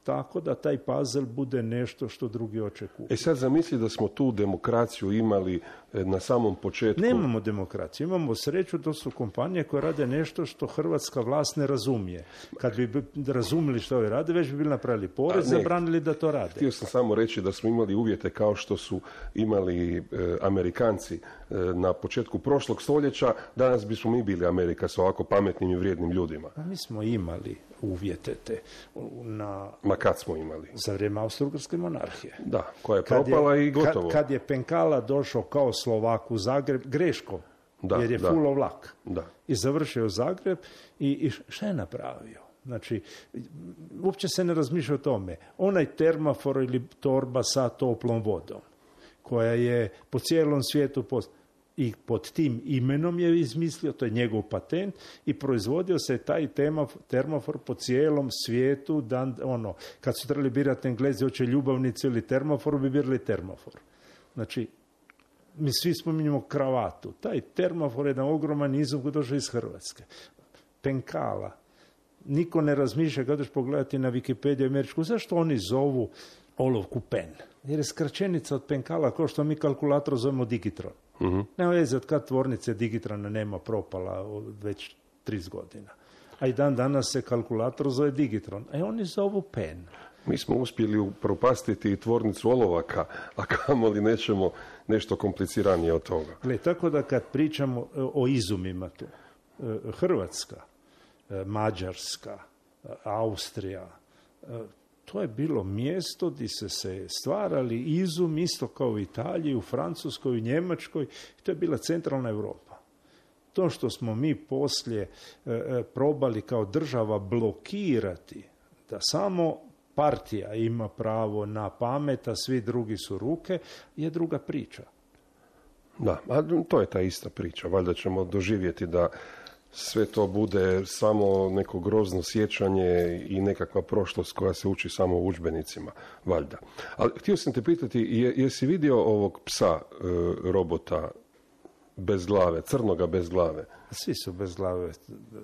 tako da taj puzzle bude nešto što drugi očekuju. E sad zamisli da smo tu demokraciju imali na samom početku. Nemamo demokraciju, imamo sreću, to su kompanije koje rade nešto što hrvatska vlast ne razumije. Kad bi razumili što ovi rade, već bi bili napravili porez, zabranili da to rade. Htio sam samo reći da smo imali uvjete kao što su imali e, Amerikanci e, na početku prošlog stoljeća, danas bismo mi bili Amerika sa ovako pametnim i vrijednim ljudima. A mi smo imali uvjete te na... Ma kad smo imali? Za vrijeme Austro-Ugarske monarhije. Da, koja je propala je, i gotovo. Kad, kad je Penkala došao kao Slovak u Zagreb, greško, da, jer je da, fulo vlak. Da. I završio Zagreb i, i šta je napravio? Znači, uopće se ne razmišlja o tome. Onaj termofor ili torba sa toplom vodom, koja je po cijelom svijetu post... i pod tim imenom je izmislio, to je njegov patent, i proizvodio se taj termofor po cijelom svijetu. Dan, ono, kad su trebali birati Englezi, hoće ljubavnicu ili termofor, bi birali termofor. Znači, mi svi spominjamo kravatu. Taj termofor je jedan ogroman izum koji došao iz Hrvatske. Penkala. Niko ne razmišlja, kada ćeš pogledati na Wikipediju američku, zašto oni zovu olovku pen? Jer je skraćenica od Penkala, kao što mi kalkulator zovemo digitron. Uh-huh. Nema veze od kad tvornice digitrona nema, propala već trideset godina. A i dan danas se kalkulator zove digitron, a oni zovu pen. Mi smo uspjeli upropastiti i tvornicu olovaka, a kamoli nećemo nešto kompliciranije od toga. Gle, tako da kad pričamo o izumima tu, Hrvatska, Mađarska, Austrija, to je bilo mjesto gdje se se stvarali izum isto kao u Italiji, u Francuskoj, u Njemačkoj. To je bila centralna Europa. To što smo mi poslije e, probali kao država blokirati da samo partija ima pravo na pamet, a svi drugi su ruke, je druga priča. Da, a to je ta ista priča. Valjda ćemo doživjeti da sve to bude samo neko grozno sjećanje i nekakva prošlost koja se uči samo u udžbenicima, valjda. Ali htio sam te pitati, je, jesi vidio ovog psa, e, robota bez glave, crnoga bez glave? Svi su bez glave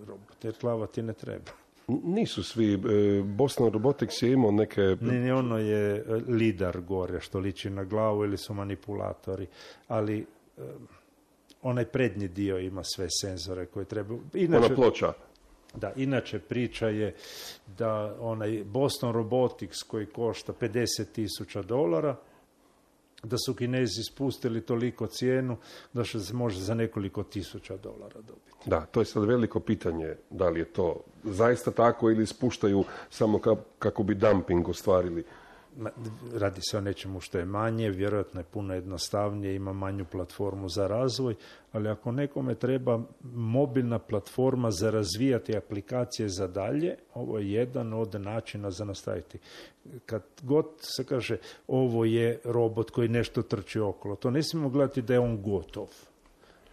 roboti, jer glava ti ne treba. Nisu svi. E, Boston Robotics je imao neke... Ne, ne, ono je lidar gore, što liči na glavu, ili su manipulatori, ali... E, onaj prednji dio ima sve senzore koje treba. Inače, ona ploča. Da, inače priča je da onaj Boston Robotics koji košta pedeset tisuća dolara, da su Kinezi spustili toliko cijenu da se može za nekoliko tisuća dolara dobiti. Da, to je sad veliko pitanje, da li je to zaista tako ili spuštaju samo ka, kako bi dumping ostvarili. Radi se o nečemu što je manje, vjerojatno je puno jednostavnije, ima manju platformu za razvoj, ali ako nekome treba mobilna platforma za razvijati aplikacije za dalje, ovo je jedan od načina za nastaviti. Kad god se kaže ovo je robot koji nešto trči okolo, to ne smijemo gledati da je on gotov.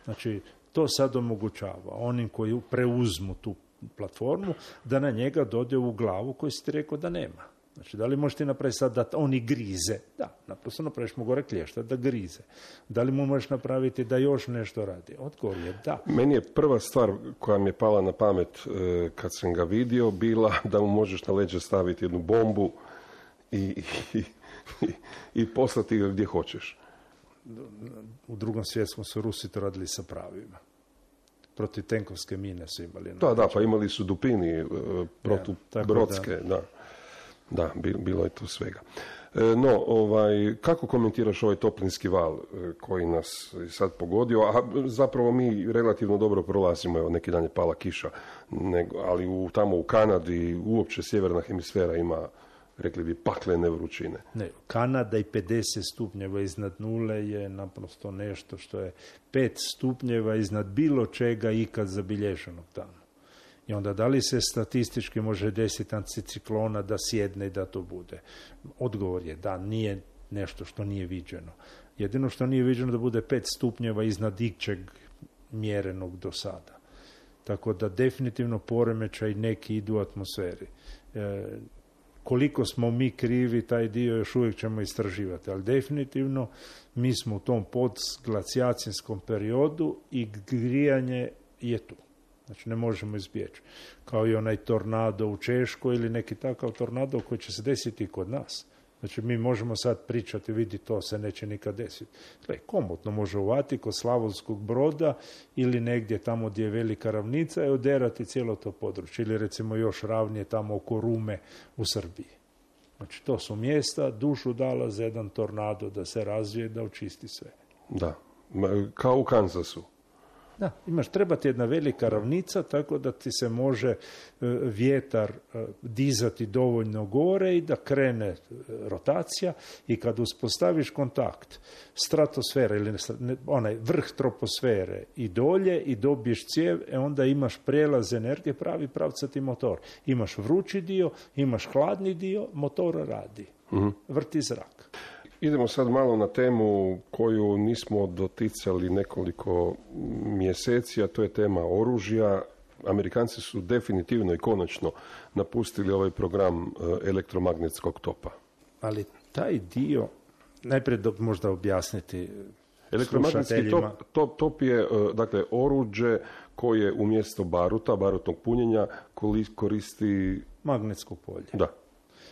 Znači, to sad omogućava onim koji preuzmu tu platformu da na njega dode u glavu koji si ti rekao da nema. Znači, da li možeš ti napraviti sad da oni grize? Da, naprosto napraviš mu gore klješta da grize. Da li mu možeš napraviti da još nešto radi? Odgovor je da. Meni je prva stvar koja mi je pala na pamet e, kad sam ga vidio bila da mu možeš na leđe staviti jednu bombu i, i, i, i poslati ga gdje hoćeš. U drugom svjetskom su Rusi to radili sa pravima. Protiv tenkovske mine su imali. Da, da, pa imali su dupini e, protu ja, brodske, da. da. Da, bilo je tu svega. No, ovaj, kako komentiraš ovaj toplinski val koji nas sad pogodio, a zapravo mi relativno dobro prolazimo, evo neki dan je pala kiša, nego, ali u, tamo u Kanadi uopće sjeverna hemisfera ima, rekli bi, paklene vrućine. Ne, Kanada i pedeset stupnjeva iznad nule je naprosto nešto što je pet stupnjeva iznad bilo čega ikad zabilježenog tamo. I onda da li se statistički može desiti anticiklona da sjedne i da to bude? Odgovor je da, nije nešto što nije viđeno. Jedino što nije viđeno da bude pet stupnjeva iznad ičeg mjerenog do sada. Tako da definitivno poremećaj neki idu u atmosferi. E, koliko smo mi krivi, taj dio još uvijek ćemo istraživati. Ali definitivno mi smo u tom podglacijacijskom periodu i grijanje je tu. Znači ne možemo izbjeći. Kao i onaj tornado u Češkoj ili neki takav tornado koji će se desiti kod nas. Znači mi možemo sad pričati, vidi to se neće nikad desiti. Gle, komotno može uvati kod Slavonskog Broda ili negdje tamo gdje je velika ravnica i oderati cijelo to područje. Ili recimo još ravnije tamo oko Rume u Srbiji. Znači to su mjesta dušu dala za jedan tornado da se razvije, da očisti sve. Da, kao u Kansasu. Da, imaš, treba ti jedna velika ravnica tako da ti se može e, vjetar e, dizati dovoljno gore i da krene e, rotacija i kad uspostaviš kontakt stratosfere ili ne, onaj vrh troposfere i dolje i dobiješ cijev, e onda imaš prijelaz energije, pravi pravcati motor. Imaš vrući dio, imaš hladni dio, motor radi, mm-hmm. vrti zrak. Idemo sad malo na temu koju nismo doticali nekoliko mjeseci, a to je tema oružja. Amerikanci su definitivno i konačno napustili ovaj program elektromagnetskog topa. Ali taj dio, najprije do, možda objasniti elektromagnetski top, top, top je dakle oruđe koje umjesto baruta, barutnog punjenja koristi magnetsko polje. Da.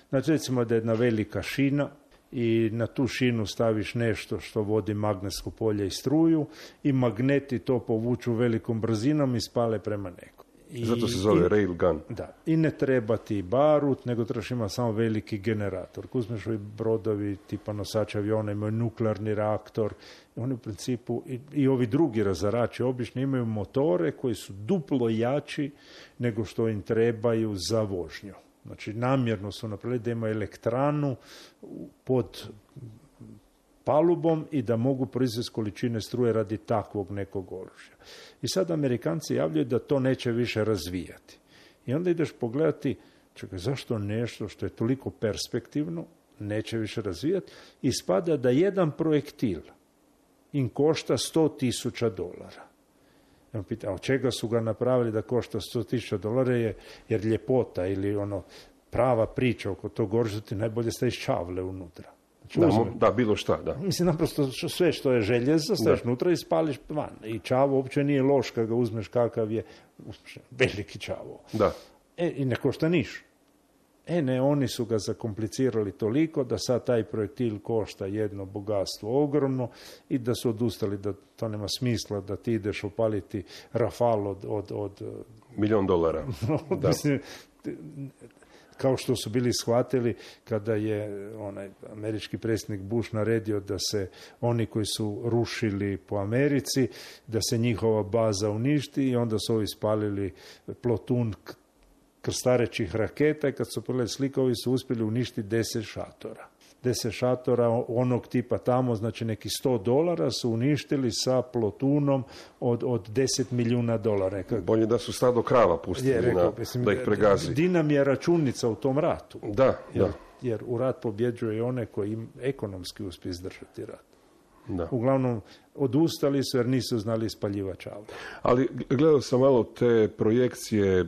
Znači recimo da je jedna velika šina i na tu šinu staviš nešto što vodi magnetsko polje i struju i magneti to povuču velikom brzinom i spale prema nekom. I, Zato se zove i, railgun. Da, i ne treba ti barut, nego trebaš ima samo veliki generator. Uzmeš ovi brodovi tipa nosača aviona imaju nuklearni reaktor, oni u principu i, i ovi drugi razarači obično imaju motore koji su duplo jači nego što im trebaju za vožnju. Znači, namjerno su napravili da imaju elektranu pod palubom i da mogu proizvesti količine struje radi takvog nekog oružja. I sad Amerikanci javljaju da to neće više razvijati. I onda ideš pogledati, čekaj, zašto nešto što je toliko perspektivno neće više razvijati, ispada da jedan projektil im košta sto tisuća dolara. Ja pitam, a od čega su ga napravili da košta sto tisuća dolara, je, jer ljepota ili ono prava priča oko tog oružja ti najbolje staviš čavle unutra. Znači, da, uzme, da, bilo šta, da. Mislim, naprosto sve što je željezo staviš unutra i spališ van. I čavo uopće nije loš kad ga uzmeš kakav je veliki čavo. Da. E, i ne košta niš. E ne, oni su ga zakomplicirali toliko da sad taj projektil košta jedno bogatstvo ogromno i da su odustali da to nema smisla da ti ideš opaliti Rafal od... od, od milijon dolara. Da. Mislim, kao što su bili shvatili kada je onaj američki predsjednik Bush naredio da se oni koji su rušili po Americi, da se njihova baza uništi i onda su ovi spalili plotun krstarećih raketa i kad su pogledali slike, ovi su uspjeli uništiti deset šatora. Deset šatora onog tipa tamo, znači neki sto dolara su uništili sa plotunom od, od deset milijuna dolara. Bolje da su stado krava pustili je, rekao, na, mislim, da ih pregazi. Dinam je računica u tom ratu. Da, jer, da. Jer u rat pobjeđuje i one koji im ekonomski uspije izdržati rat. Da. Uglavnom, odustali su jer nisu znali ispaljivač auta. Ali gledao sam malo te projekcije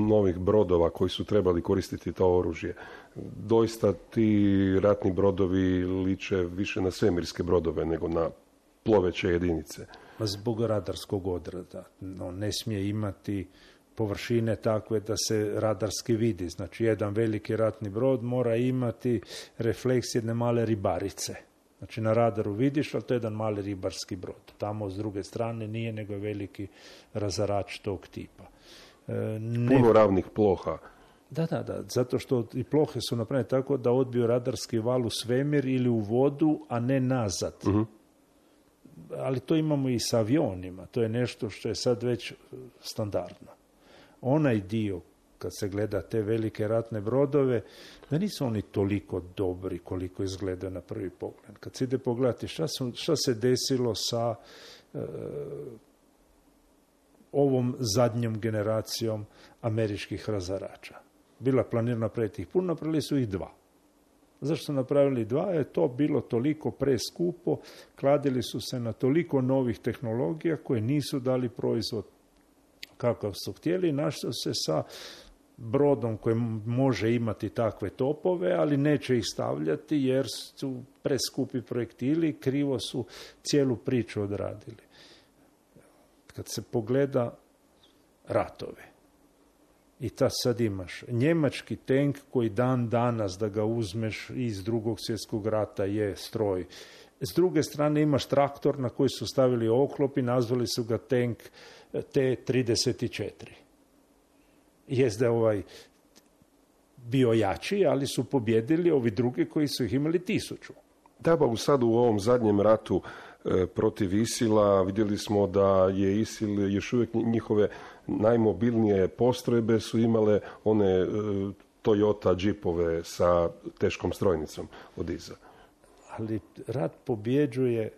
novih brodova koji su trebali koristiti to oružje. Doista ti ratni brodovi liče više na svemirske brodove nego na ploveće jedinice. Zbog radarskog odreda. On ne smije imati površine takve da se radarski vidi. Znači, jedan veliki ratni brod mora imati refleks jedne male ribarice. Znači, na radaru vidiš, ali to je jedan mali ribarski brod. Tamo, s druge strane, nije nego veliki razarač tog tipa. E, ne... Puno ravnih ploha. Da, da, da. Zato što i plohe su napravljene tako da odbiju radarski val u svemir ili u vodu, a ne nazad. Uh-huh. Ali to imamo i sa avionima. To je nešto što je sad već standardno. Onaj dio, kad se gleda te velike ratne brodove, da nisu oni toliko dobri koliko izgledaju na prvi pogled. Kad se ide pogledati šta, su, šta se desilo sa e, ovom zadnjom generacijom američkih razarača. Bila planirana napraviti ih puno, napravili su ih dva. Zašto su napravili dva? Je to bilo toliko preskupo, kladili su se na toliko novih tehnologija koje nisu dali proizvod kakav su htjeli i našli se sa brodom koji može imati takve topove, ali neće ih stavljati jer su preskupi projektili, krivo su cijelu priču odradili. Kad se pogleda ratove, i ta sad imaš njemački tank koji dan danas da ga uzmeš iz drugog svjetskog rata je stroj. S druge strane imaš traktor na koji su stavili oklop i nazvali su ga tank T trideset četiri. Jest da je ovaj bio jači, ali su pobjedili ovi drugi koji su ih imali tisuću. Da, pa sad u ovom zadnjem ratu e, protiv Isila vidjeli smo da je Isil još uvijek njihove najmobilnije postrojbe su imale one e, Toyota džipove sa teškom strojnicom od iza. Ali rat pobjeđuje,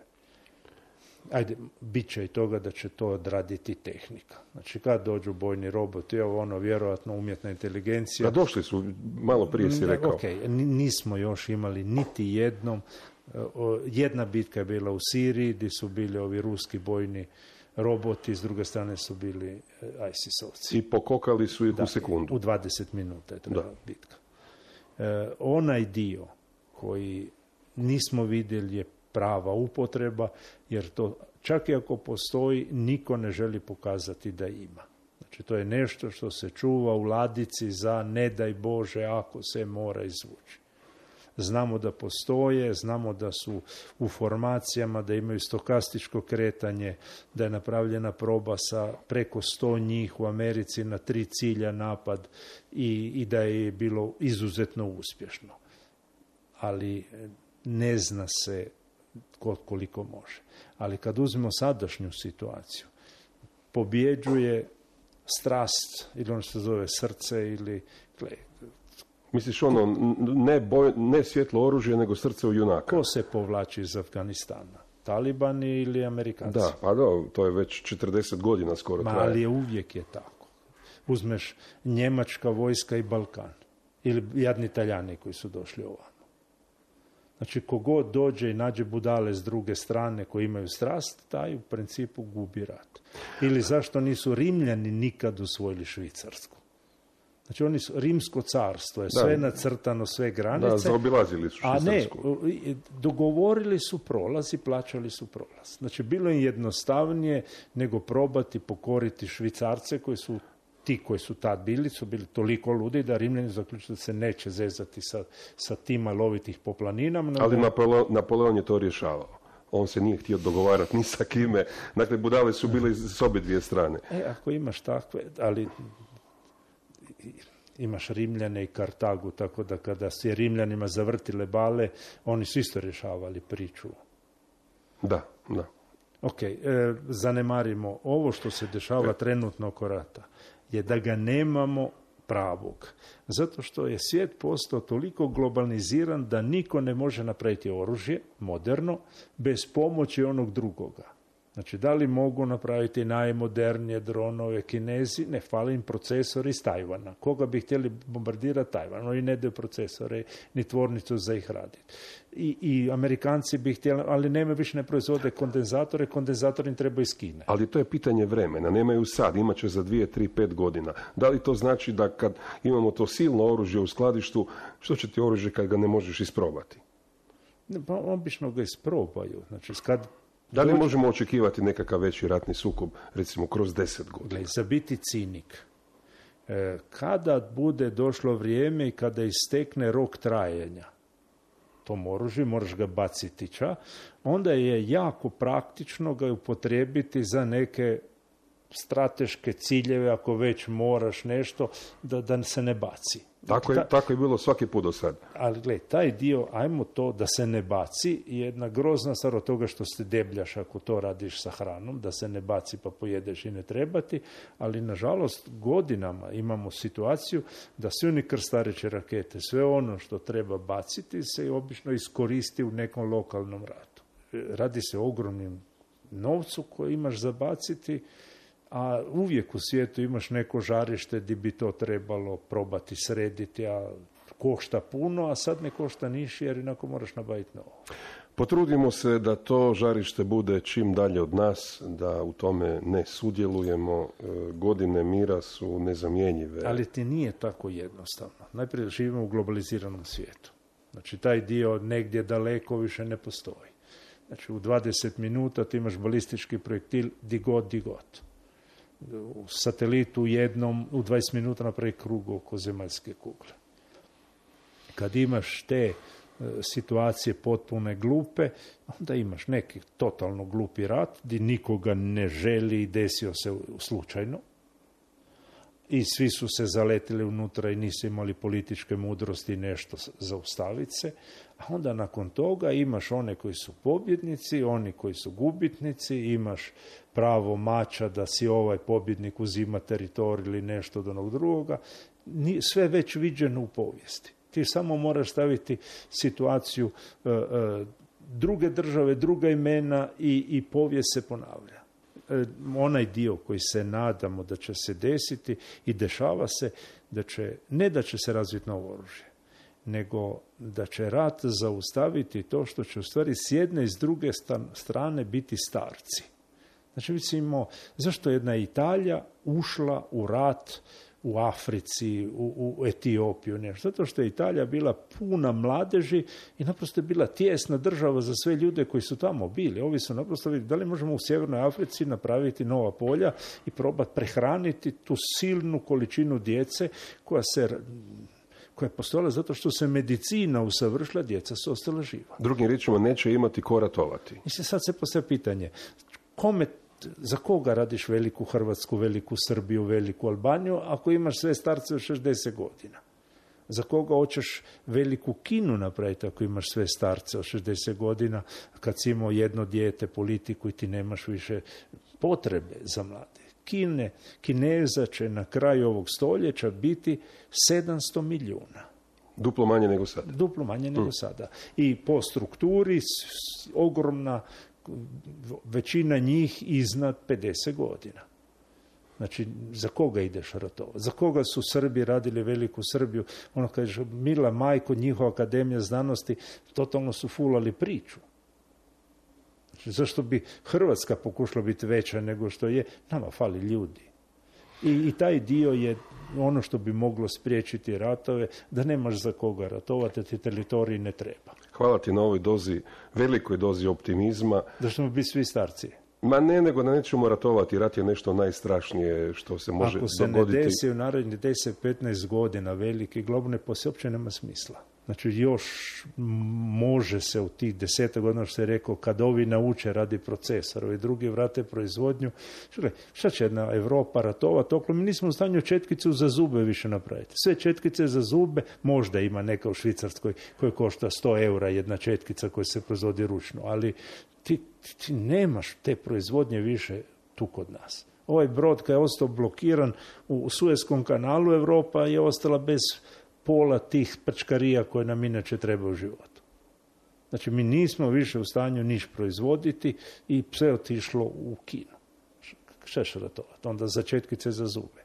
ajde, bit će i toga da će to odraditi tehnika. Znači, kad dođu bojni roboti, evo ono, vjerojatno umjetna inteligencija. A došli su, malo prije si rekao. Ok, nismo još imali niti jednom. Jedna bitka je bila u Siriji, gdje su bili ovi ruski bojni roboti, s druge strane su bili I S I S-ovci. I pokokali su ih da, u sekundu. U dvadeset minuta je trebala bitka. E, onaj dio koji nismo vidjeli je prava upotreba, jer to čak i ako postoji, niko ne želi pokazati da ima. Znači, to je nešto što se čuva u ladici za ne daj Bože ako se mora izvući. Znamo da postoje, znamo da su u formacijama, da imaju stokastičko kretanje, da je napravljena proba sa preko sto njih u Americi na tri cilja napad i, i da je bilo izuzetno uspješno. Ali ne zna se koliko može. Ali kad uzmemo sadašnju situaciju, pobjeđuje strast ili ono što se zove srce ili... Misliš ono, ne, boj, ne svjetlo oružje, nego srce u junaka? Ko se povlači iz Afganistana? Talibani ili Amerikanci? Da, pa da, to je već četrdeset godina skoro Ma, traje. ali je uvijek je tako. Uzmeš njemačka vojska i Balkan. Ili jadni Italijani koji su došli ovamo. Znači, kogod dođe i nađe budale s druge strane koji imaju strast, taj u principu gubi rat. Ili zašto nisu Rimljani nikad usvojili Švicarsku? Znači, oni su, Rimsko carstvo je da, sve nacrtano, sve granice. Da, zaobilazili su Švicarsku. A ne, dogovorili su prolaz i plaćali su prolaz. Znači, bilo je jednostavnije nego probati pokoriti Švicarce koji su ti koji su tad bili, su bili toliko ludi da Rimljani zaključili da se neće zezati sa, sa tima lovitih po planinama. Ali da... Napoleon, Napoleon je to rješavao. On se nije htio dogovarati ni sa kime. Dakle, budale su bile s obje dvije strane. E, ako imaš takve, ali imaš Rimljane i Kartagu, tako da kada se Rimljanima zavrtile bale, oni su isto rješavali priču. Da, da. Ok, e, zanemarimo ovo što se dešava trenutno oko rata, je da ga nemamo pravog. Zato što je svijet postao toliko globaliziran da niko ne može napraviti oružje, moderno, bez pomoći onog drugoga. Znači, da li mogu napraviti najmodernije dronove Kinezi? Ne, fali im procesor iz Tajvana. Koga bi htjeli bombardirati? Tajvan. Oni ne daju procesore ni tvornicu za ih raditi. I, i Amerikanci bi htjeli, ali nema više ne proizvode kondenzatore, kondenzator im treba iz Kine. Ali to je pitanje vremena, nemaju sad, imat će za dvije, tri, pet godina. Da li to znači da kad imamo to silno oružje u skladištu, što će ti oružje kad ga ne možeš isprobati? Pa obično ga isprobaju. Znači, kad da li možemo očekivati nekakav veći ratni sukob, recimo, kroz deset godina? Gle, za biti cinik. E, kada bude došlo vrijeme i kada istekne rok trajanja tom oružju, moraš ga baciti ča, onda je jako praktično ga upotrijebiti za neke strateške ciljeve, ako već moraš nešto, da, da se ne baci. Tako je, Ta, tako je bilo svaki put do sad. Ali gledaj, taj dio, ajmo to da se ne baci, je jedna grozna stvar od toga što se debljaš ako to radiš sa hranom, da se ne baci pa pojedeš i ne trebati, ali nažalost godinama imamo situaciju da svi oni krstareće rakete, sve ono što treba baciti se obično iskoristi u nekom lokalnom ratu. Radi se o ogromnim novcu koji imaš za baciti, a uvijek u svijetu imaš neko žarište gdje bi to trebalo probati srediti, a košta puno, a sad ne košta niš jer inako moraš nabaviti novo. Potrudimo se da to žarište bude čim dalje od nas, da u tome ne sudjelujemo. Godine mira su nezamjenjive. Ali ti nije tako jednostavno. Najprije živimo u globaliziranom svijetu. Znači, taj dio negdje daleko više ne postoji. Znači, u dvadeset minuta ti imaš balistički projektil di god, di god. U satelitu jednom, u dvadeset minuta napravi krug oko zemaljske kugle. Kad imaš te situacije potpune glupe, onda imaš neki totalno glupi rat gdje nikoga ne želi i desio se slučajno i svi su se zaletili unutra i nisu imali političke mudrosti nešto zaustaviti se, a onda nakon toga imaš one koji su pobjednici, oni koji su gubitnici, imaš pravo mača da si ovaj pobjednik uzima teritorij ili nešto od onog drugoga, sve već viđeno u povijesti. Ti samo moraš staviti situaciju uh, uh, druge države, druga imena i, i povijest se ponavlja. Uh, onaj dio koji se nadamo da će se desiti i dešava se, da će, ne da će se razviti novo oružje, nego da će rat zaustaviti to što će u stvari s jedne i s druge strane biti starci. Znači, mislimo, zašto jedna Italija ušla u rat u Africi, u, u Etiopiju, nešto. Zato što je Italija bila puna mladeži i naprosto je bila tijesna država za sve ljude koji su tamo bili. Ovi su naprosto vidjeli da li možemo u Sjevernoj Africi napraviti nova polja i probati prehraniti tu silnu količinu djece koja se koja je postojala zato što se medicina usavršila, djeca su ostala živa. Drugim riječima, neće imati ko ratovati. Mislim, sad se postavlja pitanje, kome za koga radiš veliku Hrvatsku, veliku Srbiju, veliku Albaniju, ako imaš sve starce od šezdeset godina? Za koga hoćeš veliku Kinu napraviti ako imaš sve starce od šezdeset godina, kad si imao jedno dijete, politiku i ti nemaš više potrebe za mlade? Kine, Kineza će na kraju ovog stoljeća biti sedamsto milijuna. Duplo manje nego sada. Duplo manje nego mm. sada. I po strukturi ogromna većina njih iznad pedeset godina. Znači, za koga ideš ratovati? Za koga su Srbi radili veliku Srbiju? Ono kaže, mila majko, njihova akademija znanosti, totalno su fulali priču. Znači, zašto bi Hrvatska pokušala biti veća nego što je? Nama fali ljudi. I, i taj dio je ono što bi moglo spriječiti ratove, da nemaš za koga ratovati, ti teritorij ne treba. Hvala ti na ovoj dozi, velikoj dozi optimizma. Da ćemo biti svi starci. Ma ne, nego da nećemo ratovati. Rat je nešto najstrašnije što se može dogoditi. Ako se ne desi u narednih deset do petnaest godina veliki globalni poslije, uopće nema smisla. Znači, još može se u tih deseta godina, što je rekao, kad ovi nauče radi procesor, ovi drugi vrate proizvodnju. Šle, šta će jedna Europa ratovati? Okolo, mi nismo u stanju četkicu za zube više napraviti. Sve četkice za zube, možda ima neka u Švicarskoj koja košta sto eura jedna četkica koja se proizvodi ručno, ali ti, ti nemaš te proizvodnje više tu kod nas. Ovaj brod kad je ostao blokiran u Suezkom kanalu, Europa je ostala bez pola tih prčkarija koje nam inače treba u životu. Znači, mi nismo više u stanju niš proizvoditi i sve otišlo u Kinu. Šta će ratovati? Onda za četkice za zube.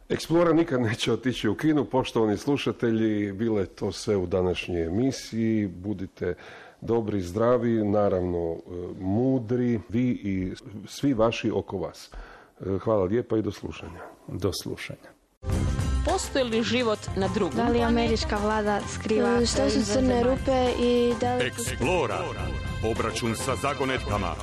Eksplora nikad neće otići u Kinu. Poštovani slušatelji, bilo je to sve u današnjoj emisiji. Budite dobri, zdravi, naravno mudri, vi i svi vaši oko vas. Hvala lijepa i do slušanja. Do slušanja. Postoji li život na drugom? Da li američka vlada skriva? Što su crne rupe i da li... Eksplora. Obračun sa zagonetkama.